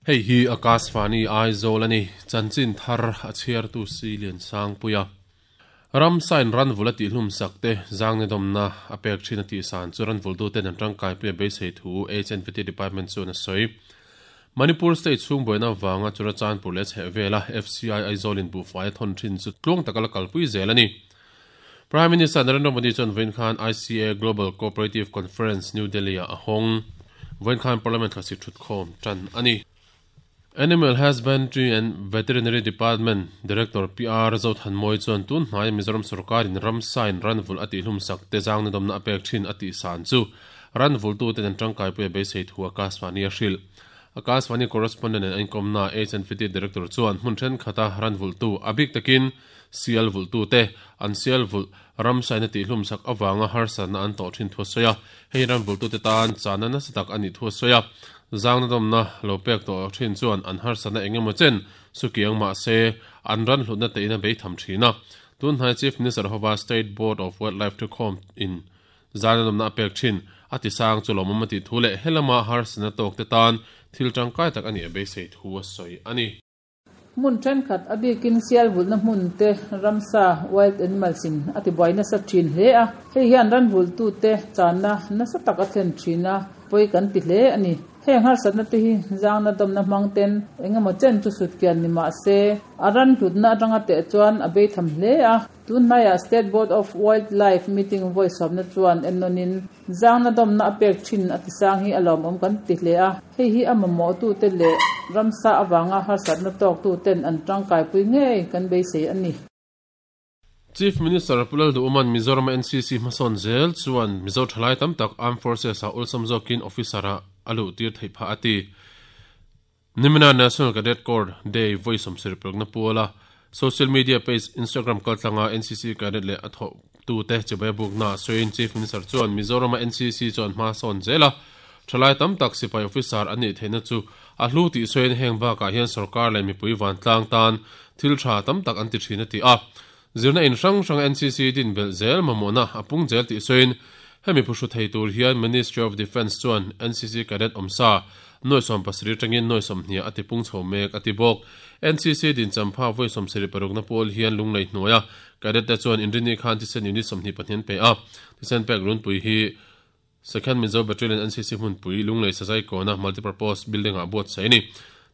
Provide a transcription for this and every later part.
Hei hi Akashvani Aizawl a ni. Chanchin thar a chhiartu si Liansangpuia. Ramsa in ranvul a tihhlum sak te zangnedawmna a pek thin a tihsan chu ranvultu ten an tangkaipui a beisei thu HNVT Department chuan a sawi. Manipur State chhung buaina vanga Churachandpur leh chhehvela FCI Aizawl in buhfai a thawn thin chu tluang taka la kalpui zel a ni. Prime Minister Narendra Modi chuan vawiin khan ICA Global Cooperative Conference New Delhi-ah a hawng. Vawiin khan Parliament thlasik thutkhawm tan a ni. Animal Husbandry and Veterinary Department Director PR Zothanmawi chuan tun hnaia Mizoram sorkarin ramsa-in ranvulh a tihhlum sak te zangnadawmna a pek thin a tihsan chu ranvultu ten an tangkaipui a beisei thu Akashvani a hrilh. Akashvani correspondent an inkawmna HNVT Director chuan hmun thenkhat a ranvulhtu a bik takin sial vulhtu te an sial vulh ramsa-in a tihhlum sak avanga harsatna an tawh thin thu a sawi a, hei ranvulhtu te tan chahna nasa tak a nih thu a sawi a. Zangnadawmna lo pek tawh thin chuan an harsatna eng emaw chen sukiang mah se an ran hlutna tein a bei tham thin a. Tun hnai Chief Minister hova State Board of Wildlife thukhawm in zangnadawmna a pek thin a tisang chu lawmawm a tih thu leh helama harsatna tawk te tan thil tangkai tak a nih a beisei thu a sawi a ni. Hmun thenkhat a bikin sial vulhna hmun te ramsa, wild animals, in a tibuai nasa thin hle a, hei hian ran vulhtu te channa nasa tak a thlen thin a, pawi kan ti hle a ni. Heng harsatna te hi zangna dawmna hmang ten eng emaw chen chu sut kian ni mah se, a ran hlutna atanga teh chuan a bei tham hle a. Tun hnaiah State Board of Wildlife meeting vawi sawmna chuan ennawnin zangna dawmna a pek thin a tisang hi a lawmawm kan ti hle a, hei hi a mamawhtute leh ramsa avanga harsatna tawktuten an tangkaipui ngei kan beisei a ni. Chief Minister Pu Lalduhawma'n Mizoram-a NCC hmasawn zel chuan Mizo thalai tam tak Armed Forces-ah awlsam zawkin officer-ah a luhtir theih phah a ti. Nimina National Cadet Corps Day vawi 71 na puala social media page Instagram kaltlanga NCC cadet leh a thawhtute chibai bukna sawiin Chief Minister chuan Mizoram-a NCC chuan hma sawn zel a, thalai tam tak sipai officer an nih theihna chu a hlu tih sawiin heng bakah hian sorkar leh mipui vantlang tan thil tha tam tak an ti thin a ti a. Zirna in hrang hranga NCC din belh zel mamawhna a pung zel tih sawiin hemi phuhru thei tur hian Ministry of Defence chuan NCC cadet awmsa nuai 70 atangin nuai 20 a tipung chho mek a ti bawk. NCC din champha vawi 76 na pawl hian lunglei hnuaia cadet te chuan inrini khan thisen unit 22 an pe a, thisen pek runpui hi Second Mizo Battalion NCC hmunpui Lunglei Sazai Kawna Multipurpose Building-ah buatsaih a ni.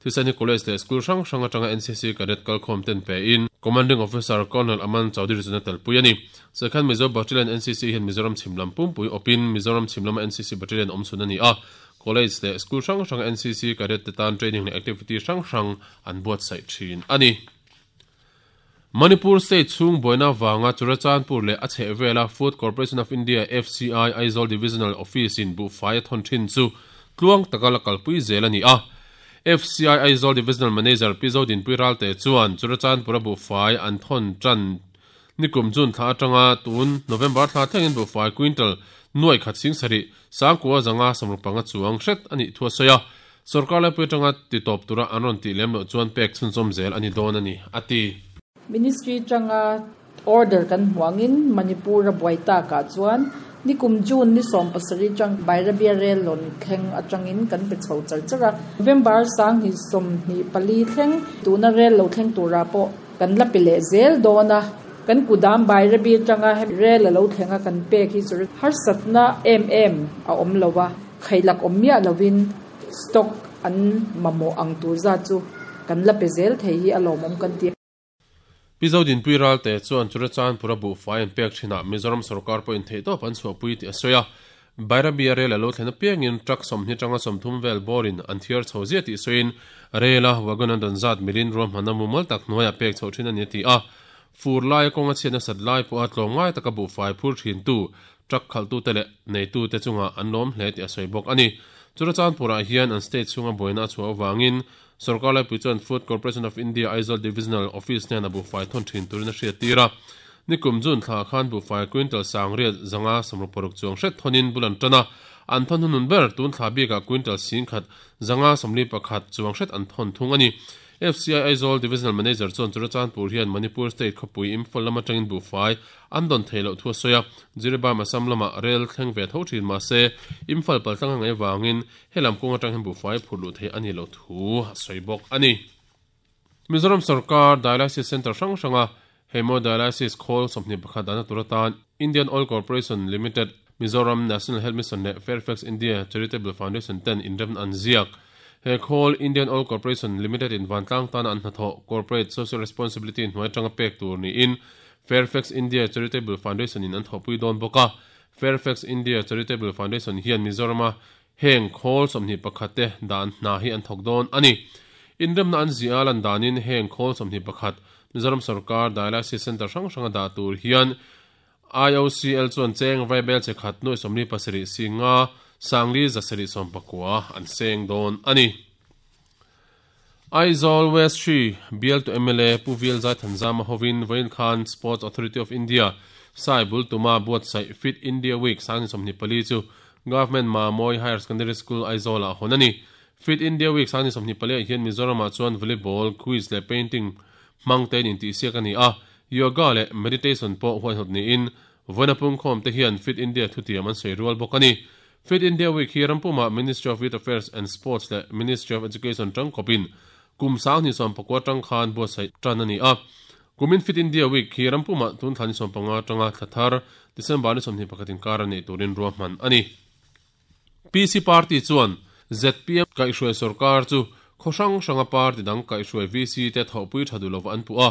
Thisen hi College leh School hrang hrang atanga NCC Cadet kalkhawm ten pein Commanding Officer Colonel Aman Chaudhary chuan a telpui a ni. Second Mizo Battalion NCC hian Mizoram chhim lam pumpui awpin Mizoram chhim lama NCC Battalion awm chhun a ni a. College leh School hrang hranga NCC Cadet te tan training leh activity hrang hrang an buatsaih thin a ni. Manipur State chhung buaina vanga Churachandpur leh a chhehvela Food Corporation of India, FCI, Aizawl Divisional Office-in buhfai a thawn thin chu tluang taka la kalpui zel a ni a. FCI Aizawl Divisional Manager Pi Zodinpui Ralte chuan Churachandpura buhfai an thawn tan nikum June thla atanga tun November thla thlengin buhfai quintal nuai khat sing sarih sangkua zanga sawmruk panga chuang hret a nih thu a sawi a. Sorkar laipui atanga ti tawp tura an rawn tih lem loh chuan pek chhunzawm zel a ni dawn a ni, a ti. Ministry atanga order kan hmuangin Manipur a buai takah chuan nikum June ni 17 atang Bairabia rail lawn thleng atangin kan pe chho char char a, November 2024 thleng tuna rail lo thleng turah pawh kan la pe leh zel dawn a, kan kudam Bairabi atanga rail a lo thleng a kan pek hi chu harsatna em em a awm lo a, khailak awm miah lovin stock an mamawh ang tur zat chu kan la pe zel thei hi a lawmawm kan ti. Pi Zodinpui Ralte chuan Churachandpura buhfai an pek thinah Mizoram sorkar pawhin theihtawp an chhuahpui tih a sawi a. Bairabia rel a lo thlen apiangin truck 20 atanga 30 vel bawrin an thiar chho ziah tih sawiin rel a wagon an rawn zat milin ruahmanna mumal tak hnuaiah pek chhoh thin a ni a ti a. Fur laia kawng a chhiat nasat lai pawha tlawmngai taka buhfai phur thintu truck khalhtute leh neitute chungah an lawm hle tih a sawi bawk a ni. Churachandpurah hian an state chhunga buaina a chhuah avangin sorkar laipui chuan Food Corporation of India Aizawl Divisional Office hnenah buhfai thawn thin turin a hriattir a. Nikum June thla khan buhfai quintal sangriat zanga 66 chuang hret thawnin bul an tan a, an thawn hunun ber tun thla bikah quintal 10,141 chuang hret an thawn thung a ni. FCI Aizawl Divisional Manager chuan Churachandpur hian Manipur State khawpui Imphal lam atangin buhfai an dawn theih loh thu a sawi a, Jiribam Assam lamah rel thleng ve tho thin mahse Imphal paltlang a ngaih avangin helam kawng atang hian buhfai phurh luh theih a nih loh thu a sawi bawk a ni. Mizoram sorkar Dialysis Centre hrang hranga Hemodialysis khawl 21 dahna tur atan Indian Oil Corporation Limited, Mizoram National Health Mission leh Fairfax India Charitable Foundation ten inremna an ziak. He khawl Indian Oil Corporation Limited in vantlang tana an hnathawh Corporate Social Responsibility hnuai atanga pek tur niin Fairfax India Charitable Foundation in an thawhpui dawn bawk a. Fairfax India Charitable Foundation hian Mizorama Heng khawl 21 te dan hna hi an thawk dawn a ni. Inremna an ziah a lan danin heng khawl 21 Mizoram sorkar Dialysis Centre hrang hranga dah tur hian IOCL chuan cheng vaibel che khat nuai 47 singa sangli zasarih sawmpakua an seng dawn a ni. Aizawl West 3 bialtu mla Pu Vil Zaithanzama hovin vawiin khan Sports Authority of India sai bul tuma buatsaih Fit India Week sangni 24 chu Government Mamawii Higher Secondary School Aizawl-ah hawn a ni. Fit India Week sangni 24 ah hian Mizoram-ah chuan Volleyball, Quiz leh Painting hmang tein intihsiak a ni a, Yoga leh Meditation pawh huaihawt niin Vawiina pungkhawm te hian Fit India thutiam an sawi rual bawk a ni. Fit India Week hi rampumah Ministry of Youth Affairs and Sports leh Ministry of Education tangkawpin kum 2019 atang khan buatsaih tan a ni a. Kumin Fit India Week hi rampumah tun thla ni 15 atanga thla thar December ni 21 inkar a neih turin ruahman a ni. PC Party chuan zpm kaihhruai sorkar chu khaw hrang hranga party dang kaihhruai VC te thawhpui tha duh lova an puh a.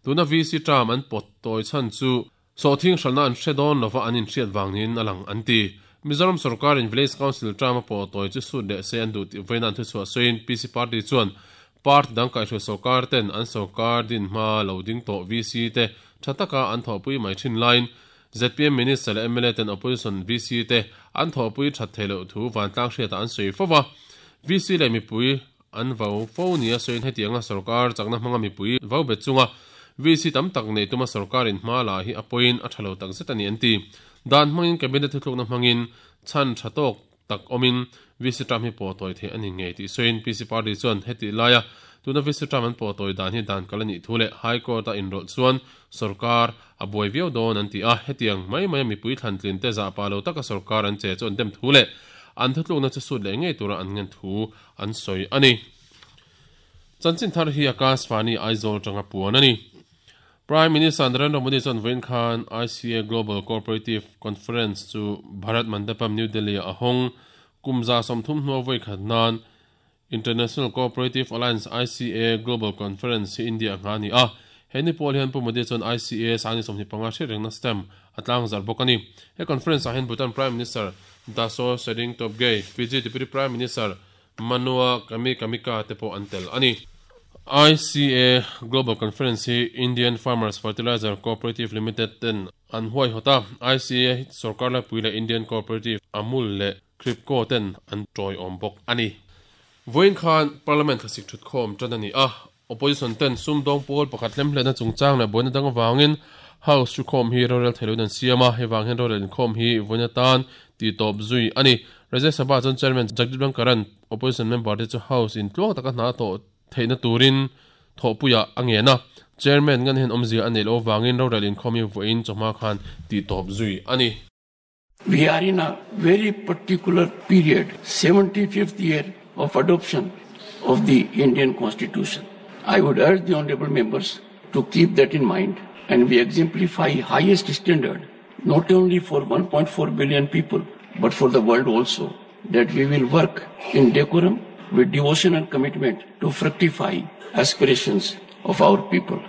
Tuna VC term an pawt tawi chhan chu Sawhthing hralhna an hre dawn lova an inhriat vang niin a lang an ti. Mizoram sorkarin Village Council term a pawh tawi chu sut leh se an duh tih vawiin an thuchhuah sawiin PC Party chuan party dang kaihhruai sorkar ten an sorkar din hma lo ding tawh VC te tha taka an thawhpui mai thin laiin zpm Minister leh mla ten Opposition VC te an thawhpui that theih loh thu vantlang hriatah an sawi fo va. VC leh mipui An vau fo nia sawiin hetianga sorkar chakna hmanga mipui vau bet chunga VC tam tak nei tuma sorkarin hma la hi a pawiin a tha lo tak zet a ni an ti. Dan hmangin Cabinet thuthlukna hmangin chhan tha tawk tak awmin VC term hi pawh tawi theih a ni ngei tih sawiin PC Party chuan hetih laia tuna VC term an pawh tawi dan hi dan kal a nih thu leh High Court a inrawlh chuan sorkar a buai viau dawn an ti a, hetiang mai maia mipui thlantlin te zahpah lo taka sorkar an che chu an dem thu leh an thutlukna chu sut leh ngei tura an ngen thu an sawi a ni. Chanchin thar hi Akashvani Aizawl atanga puan a ni. Prime Minister Narendra Modi chuan vawiin khan ICA Global Cooperative Conference chu Bharat Mandapam, New Delhi-ah a hawng. Kum 30 hnua vawi khat nan International Cooperative Alliance, ICA, Global Conference hi India-ah nghah a ni a. He ni pawl hian Pu Modi chuan ICA sangni 25 hriat rengna stamp a tlangzarh bawk a ni. He conference-ah hian Bhutan Prime Minister Daso Tshering Tobgay, Fiji Deputy Prime Minister Manua Kami Kamika te pawh an tel a ni. ICA Global Conference hi Indian Farmers Fertilizer Cooperative Limited ten an huaihawt a, ICA hi sorkar laipui leh Indian Cooperative, Amul leh Kribco ten an tawiawm bawk a ni. Vawiin khan Parliament thlasik thutkhawm tan a ni a, Opposition ten sumdawng pawl pakhat hlemhletna chungchang leh buaina dang avangin House thukhawm hi rorel thei loin an siam a, hei vang hian rorel inkhawm hi vawiin atan tihtawp zui a ni. Rajya Sabha chuan Chairman Jagdeep Dhankhar-a'n Opposition member te chu House in tluang taka hna a tawh theihna turin thawhpuiah a ngen a, Chairman ngan hian awmzia a neih loh avangin rorel inkhawm hi vawiin chawhma khan tihtawp zui a ni. We are in a very particular period, 75th year of adoption of the Indian Constitution. I would urge the honorable members to keep that in mind and we exemplify highest standard not only for 1.4 billion people but for the world also that we will work in decorum with devotion and commitment to fructify aspirations of our people.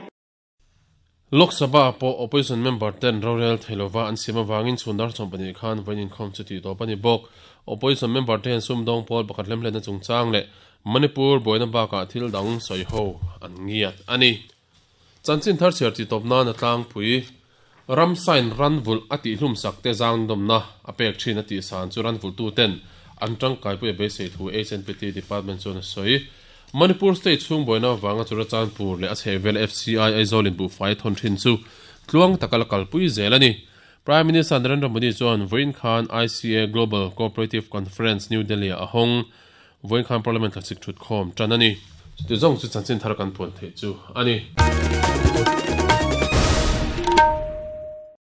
Lok Sabha pawh Opposition member ten rorel thei lova an siam avangin chhun dar 12 khan vawiin inkhawm chu tih tawp a ni bawk. Opposition member te hian sumdawng pawl pakhat hlemhletna chungchang leh Manipur buaina bakah thil dang sawi ho an ngiat a ni. Chanchin thar chhiar tih tawp nan a tlangpui ram sign ran vulh a tihhlum sak te zangdawmna a pek thin a tih san chu ran vulhtu ten an tangkaipui a beisei thu HNPT department chuan a sawi. Manipur state chhung buaina avanga Churachandpur leh a chhehvel FCI Aizawl in buhfai thawn thin chu tluang taka la kalpui zel a ni. Prime Minister Narendra Modi chuan vawiin khan ICA Global Cooperative Conference New Delhi ah a hawng. Vawiin khan Parliament thlasik thutkhawm tan a ni. Chuti zawng chu chanchin thar kan puan theih chu a ni.